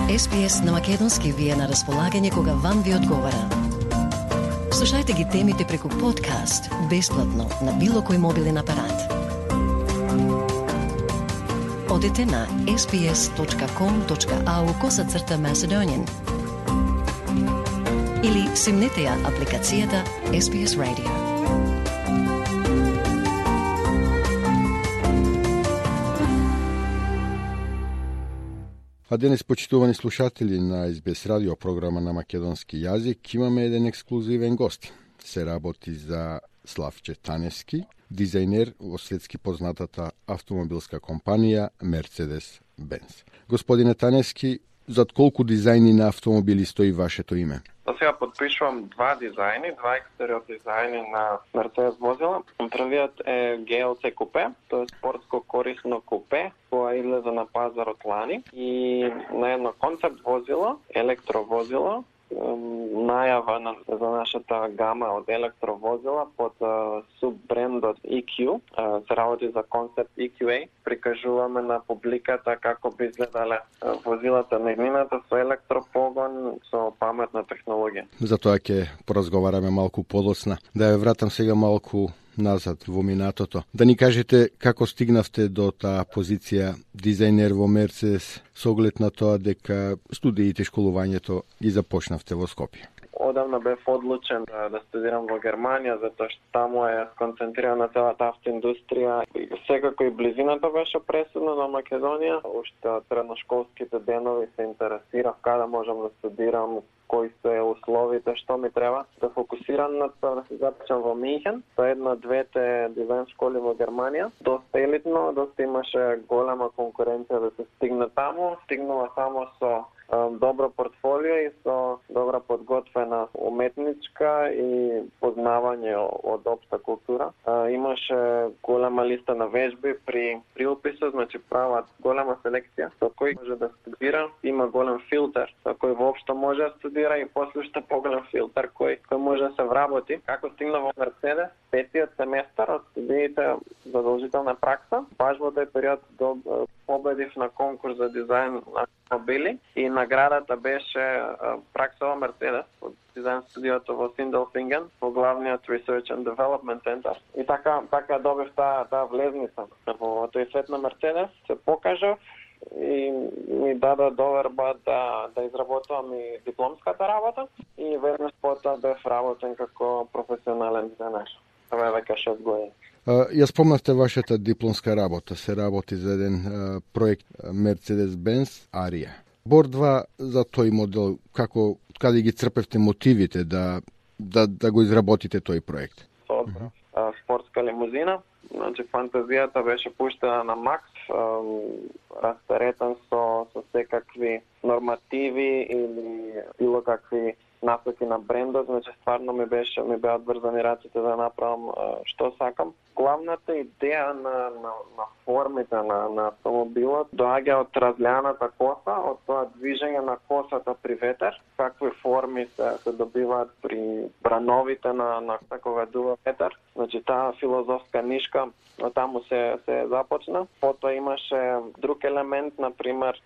SPS на македонски ви е на располагање кога вам ви одговара. Слушајте ги темите преку подкаст, бесплатно, на било кој мобилен апарат. Одете на sbs.com.au/Macedonian или симнете ја апликацијата SBS Radio. А денес, почитувани слушатели на SBS радио програма на македонски јазик, имаме еден ексклузивен гост. Се работи за Славче Таневски, дизајнер во светски познатата автомобилска компанија Mercedes-Benz. Господине Таневски, зад колку дизајни на автомобили стои вашето име? Сега подпишувам два дизајни, два екстериор дизајни на Mercedes возила. Првиот е GLC купе, тоа е спортско корисно купе, која излезе на пазарот лани, и на едно концепт возило, електровозило, најава за нашата гама од електровозила под суббрендот EQ. Се работи за концепт EQA. Прикажуваме на публиката како би изгледале возилата на иднината со електропогон, со паметна технологија. Затоа ќе поразговараме малку подоцна. Да ја вратам сега малку назад во минатото. Да ни кажете како стигнавте до таа позиција дизајнер во Мерцедес, со оглед на тоа дека студиите, школувањето ги започнавте во Скопје. Одамна бев одлучен да студирам во Германија, затоа што таму е сконцентрирана целата автоиндустрија. Секако и близината беше пресудна на Македонија. Уште од средношколските денови се интересирав каде можам да студирам, кои се условите, што ми треба. Да фокусирам на тоа да се запишам во Минхен, со една двете дизајн школи во Германија. Доста елитно, доста имаше голема конкуренција да се стигне таму. Стигнува само со добро портфолио и со добра подготвена уметничка и познавање од општа култура. Имаше голема листа на вежби при уписот, значи прават голема селекција со кој може да студира. Има голем филтер со кој воопшто може да студира и после уште поголем филтер кој може да се вработи. Како стигна во Мерцедес, петиот семестар од студиите задолжителна пракса, баш во тој период победив на конкурс за дизајн на автомобили и наградата беше пракса во Мерцедес од дизајн студиото во Синделфинген, во главниот Research and Development Center. И така добив таа влезница во тој свет на Мерцедес. Се покажав и ми даде доверба да изработувам и дипломската работа и веднаш потоа бев работен како професионален дизајнер. Тоа е веќе 6 години. Ја спомнавте вашата дипломска работа. Се работи за еден проект Mercedes-Benz Aria. Бордва за тој модел, каде ги црпевте мотивите да го изработите тој проект? Спортска лимузина. Значи, фантазијата беше пуштена на макс, растеретен со секакви нормативи или било какви насоки на брендот, значи стварно ми беа одврзани раците да направам што сакам. Главната идеја на формите на автомобилот доаѓа од разлјаната коса, од тоа движење на косата при ветер, какви форми се добиваат при брановите на такова дува ветер. Значи таа филозофска нишка таму се започна. Потоа имаше друг елемент, например,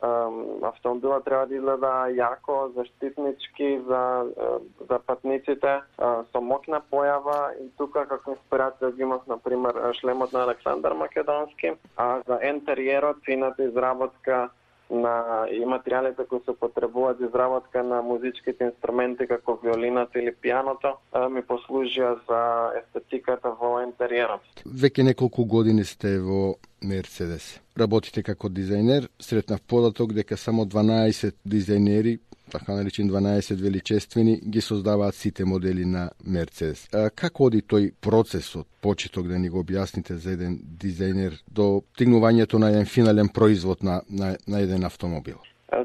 автомобилот треба да изгледа јако, заштитнички за патниците, со моќна појава, и тука како инспирација ги имав, например, шлемот на Александар Македонски, а за ентериерот, фината изработка и материјалите кои се потребуваат за изработка на музичките инструменти како виолината или пијаното ми послужија за естетиката во ентериерот. Веќе неколку години сте во Мерцедес. Работите како дизајнер, сретнав податок дека само 12 дизајнери, така наречени 12 величествени, ги создаваат сите модели на Мерцедес. Како оди тој процес од почеток, да ни го објасните за еден дизајнер до стигнувањето на еден финален производ на еден автомобил?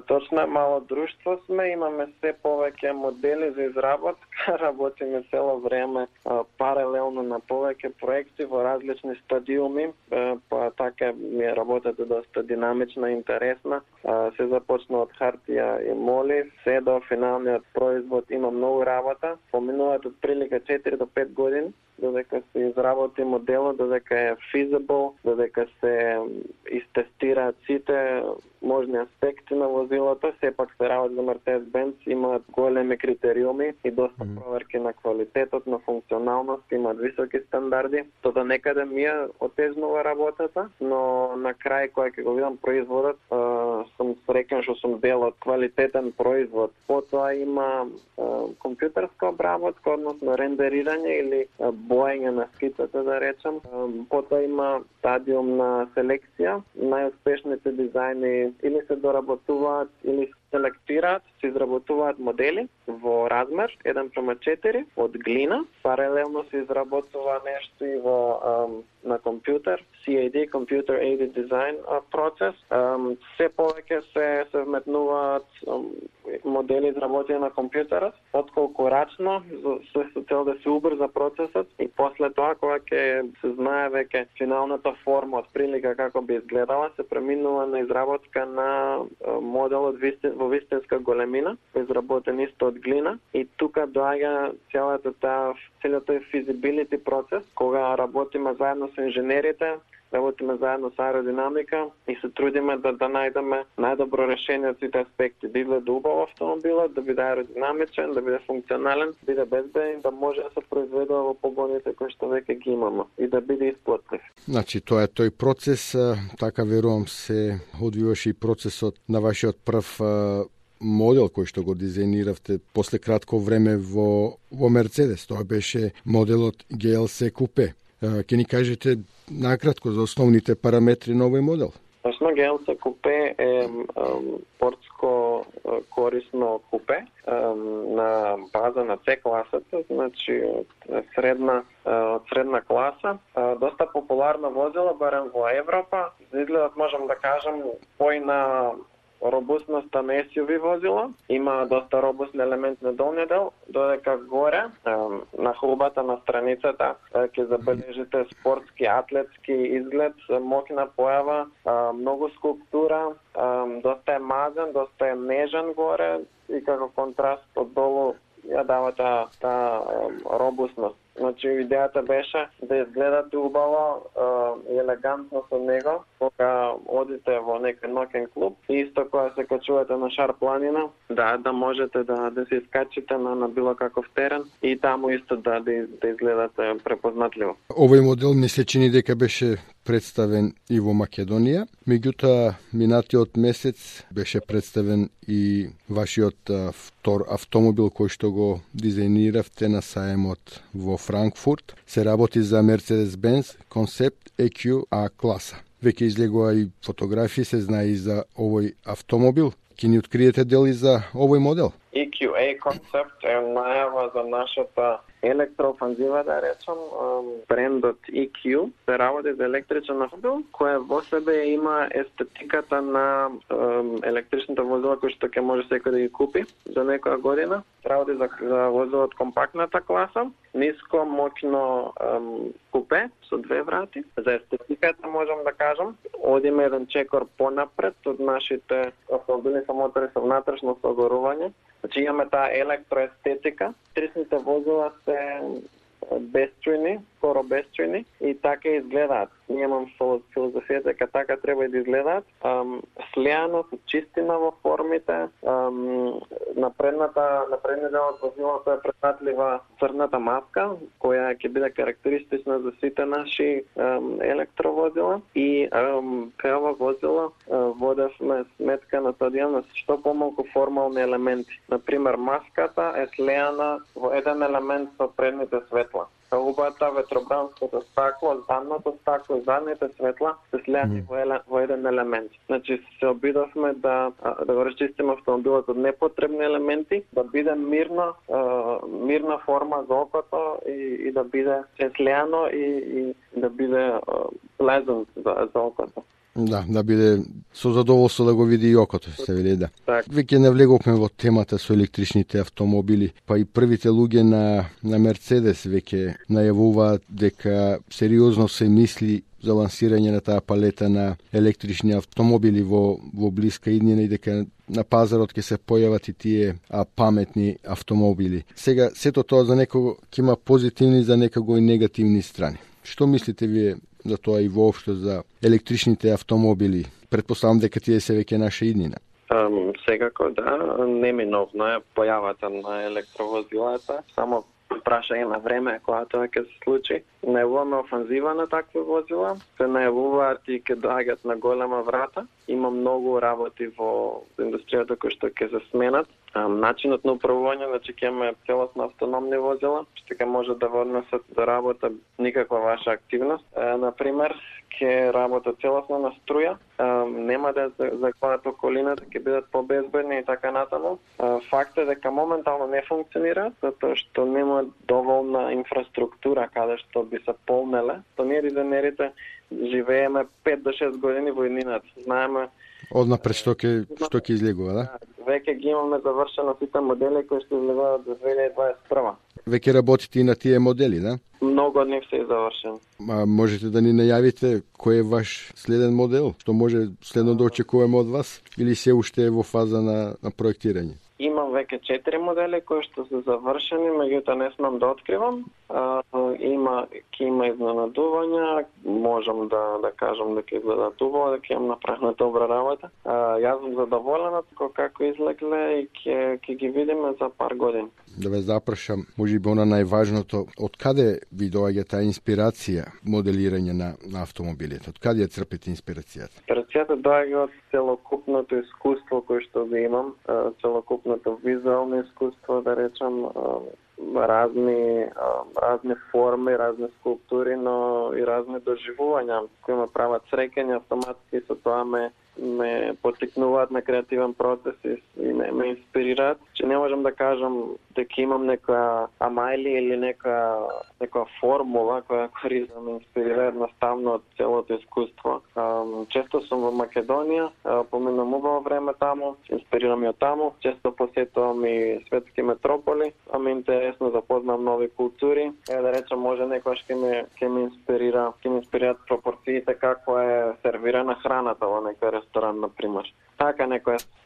Точно, мало друштво сме, имаме се повеќе модели за изработка, работиме цело време паралелно на повеќе проекти во различни стадиуми, па така ми е работата доста динамична и интересна. Се започна од хартија и моли, се до финалниот производ има многу работа. Поминуваат од прилика 4 до 5 години. додека се изработи моделот, додека е feasible, додека се истестираат сите можни аспекти на возилото, сепак се работи за Mercedes-Benz, имаат големи критериуми и доста проверки на квалитетот, на функционалност, имаат високи стандарди. Тоа некаде ми е отежнува работата, но на крај кога ќе го видам производот, сум среќен што сум дел од квалитетен производ. Потоа има компјутерска обработка, односно рендерирање или боење на скицата, да речем. Потоа има стадиум на селекција. Најуспешните дизајни или се доработуваат, или се селектираат, се изработуваат модели во размер 1:4 од глина. Паралелно се изработува нешто и на компјутер, CAD, Computer Aided Design процес. Се повеќе се вметнуваат модели изработени на компјутерот, отколку рачно, со цел да се убрза процесот и после тоа, кога ќе се знае веќе финалната форма од прилика како би изгледала, се преминува на изработка на моделот во вистинска големина, изработен исто од глина, и тука доаѓа целиот feasibility процес, кога работиме заедно со инженерите, работиме заедно со аеродинамика и се трудиме да најдеме најдобро решение од сите аспекти. Да изгледа убаво автомобилот, да биде аеродинамичен, да биде функционален, да биде безбеден, да може да се произведува во погоните кои што веќе ги имаме и да биде исплатлив. Значи, тоа е тој процес, така верувам се одвиваше и процесот на вашиот прв модел кој што го дизајниравте после кратко време во Мерцедес. Тоа беше моделот GLC Coupe. Ќе ни кажете накратко за основните параметри на овој модел? Точно, GLC Coupe е спортско корисно купе на база на C класата, значи од средна класа. Доста популарно возило, барем во Европа. За изгледот можам да кажам пој на робустноста на SUV возила, има доста робустни елементи на долниот дел, додека горе, на хулбата на страницата, ќе забележите спортски, атлетски изглед, моќна појава, многу скулптура, доста е мазен, доста е нежен горе и како контраст од долу ја дава таа робустност. Значи, идејата беше да изгледате убаво и елегантно со него, кога одите во некој ноќен клуб и исто кога се качувате на шар планина, да можете да се искачите на било каков терен и таму исто да изгледате препознатливо. Овој модел ми се чини дека беше представен и во Македонија, меѓутоа минатиот месец беше представен и вашиот втор автомобил кој што го дизајниравте на саемот во Франкфурт. Се работи за Mercedes-Benz Concept EQ A класа. Веќе излегува и фотографии, се знае и за овој автомобил. Ќе ни откриете дели за овој модел? EQA Concept е најава за нашата електрофанзива, да речем, брендот EQ. Се работи за електричен автомобил, кој во себе има естетиката на електричните возила кои што ќе може секој да ги купи за некоја година. Работи за возило од компактната класа, ниско, моќно купе со две врати. За естетиката можам да кажам, одиме еден чекор понапред од нашите автомобили со мотори со внатрешно согорување. Значи имаме таа електроестетика. Трисните возила се безструјни, скоро безструјни и така изгледаат. Ние имам филозофија дека така треба и да изгледаат. Слеано, со чистина во формите, на предниот дел од возилото е преснатлива црната маска, која ќе биде карактеристична за сите наши електровозила. И кај ова возила водевме сметка на тоа на што помалку формални елементи. Например, маската е слеана во еден елемент со предните светла. Хулбата, ветробранското стакло, задното стакло, задните светла се слеани во еден елемент. Значи се обидовме да го расчистиме автомобилот од непотребни елементи, да биде мирна форма за окото и да биде слеано и да биде pleasant за окото. Да биде со задоволство да го види и окото, се вели да. Так. Веќе навлеговме во темата со електричните автомобили, па и првите луѓе на Мерцедес веќе најавуваат дека сериозно се мисли за лансирање на таа палета на електрични автомобили во блиска иднина и дека на пазарот ќе се појават и тие паметни автомобили. Сега, сето тоа за некого ќе има позитивни, за некого и негативни страни. Што мислите вие за тоа и воопшто за електричните автомобили? Предпоставам дека тие се веќе наша иднина. Секако да, неминовно е појавата на електровозилата, само прашање на време кога тоа ќе се случи. Најавуваме офанзива на такви возила, се најавуваат и ќе доаѓаат на голема врата. Има многу работи во индустријата кои што ќе се сменат. Начинот на управување, значи ќе имаме целосно автономни возила, што ќе може да однесат до работа никаква ваша активност. Например, ќе работат целосно на струја, нема да закланат околината, ќе бидат побезбедни и така натаму. Факт е дека моментално не функционира, затоа што нема доволна инфраструктура каде што би се полнеле. То ние дизајнерите живееме 5 до 6 години во иднината. Знаеме однапред што ќе излегува, да? Веќе ги имаме завршено сите модели кои што излегуваат до 2021. Веќе работите и на тие модели, да? Многу од нив се завршени. Можете да ни најавите кој е ваш следен модел? Што може следно да очекуваме од вас? Или се уште е во фаза на проектирање? Имам веќе 4 модели кои што се завршени, меѓутоа не смам да откривам. Ќе има изненадувања, можам да кажам дека изгледа убаво, дека имам направена добра работа. Јас сум задоволен како излегле и ќе ги видиме за пар години. Да ве запрашам, можеби она најважното, од каде ви доаѓа таа инспирација моделирање на автомобилите? Од каде ја црпите инспирацијата? Инспирацијата доаѓа од целокупното искуство кое што го имам, целокупното визуално искуство, да речам, разни форми, разни скулптури, но и разни доживувања кои ме прават среќен, автоматски со тоа ме потикнуваат на креативен процес и ме инспирираат. Че не можам да кажам дека имам некоја амајли или некоја формула која користам ме инспирира едноставно од целото искуство. Често сум во Македонија, поминам убаво време таму, инспирирам ја таму, често посетувам и светски метрополи, ме интересно да познам нови култури. Да речем, може некојаш ќе ме инспирираат пропорциите како е сервирана храната во некој ресторан, например. Така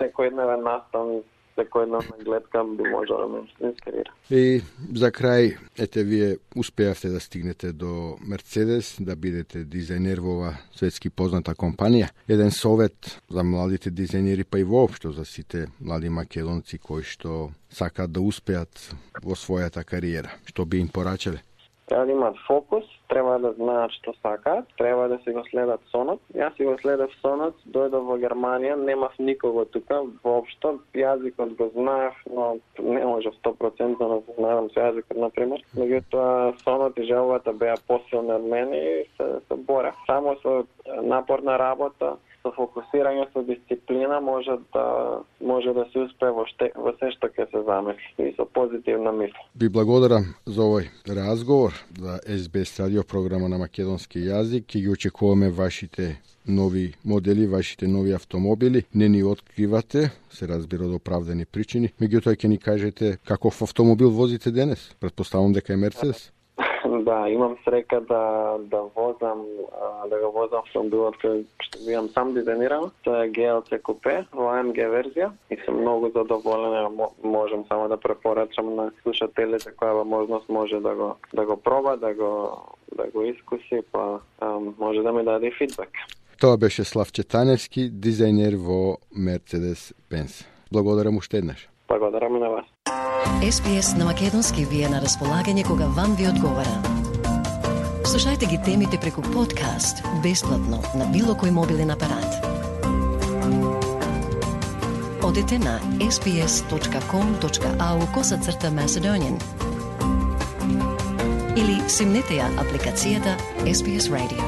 секојдневен настан, секојдневна гледка би можела да ме инспирира. И за крај, вие успеавте да стигнете до Мерцедес, да бидете дизајнер во ова светски позната компанија. Еден совет за младите дизајнери, па и воопшто за сите млади македонци кои што сакаат да успеат во својата кариера. Што би им порачале? Треба да имаат фокус, треба да знаат што сакаат, треба да си го следат сонот. Јас си го следев сонот, дојдов во Германија, немав никого тука, воопшто, јазикот го знаев, но не можев 100% да знаам со јазикот, например. Меѓутоа, сонот и желбата беа посилни од мене и се борев. Само со напорна работа, со фокусирање, со дисциплина може да се успее во се што ќе се замисли и со позитивна мисла. Би благодарам за овој разговор за SBS радио програма на македонски јазик. Ќе ги очекуваме вашите нови модели, вашите нови автомобили. Не ни откривате, се разбира од оправдани причини. Меѓутоа ќе ни кажете каков автомобил возите денес? Предпоставам дека е Мерцедес. Да, имам срека да го возам автомобилот кој што имам сам дизајниран. Тоа е GLC Coupe во AMG верзија и сум многу задоволен. Можам само да препорачам на слушателите која можност може да го проба, да го искуси, па може да ми даде фидбек. Тоа беше Славче Таневски, дизајнер во Mercedes-Benz. Благодарам уште еднаш. Благодарам и на вас. SBS на македонски ви е на располагање кога вам ви одговара. Слушајте ги темите преку подкаст, бесплатно, на било кој мобилен апарат. Одете на sbs.com.au/Macedonian или симнете ја апликацијата SBS Radio.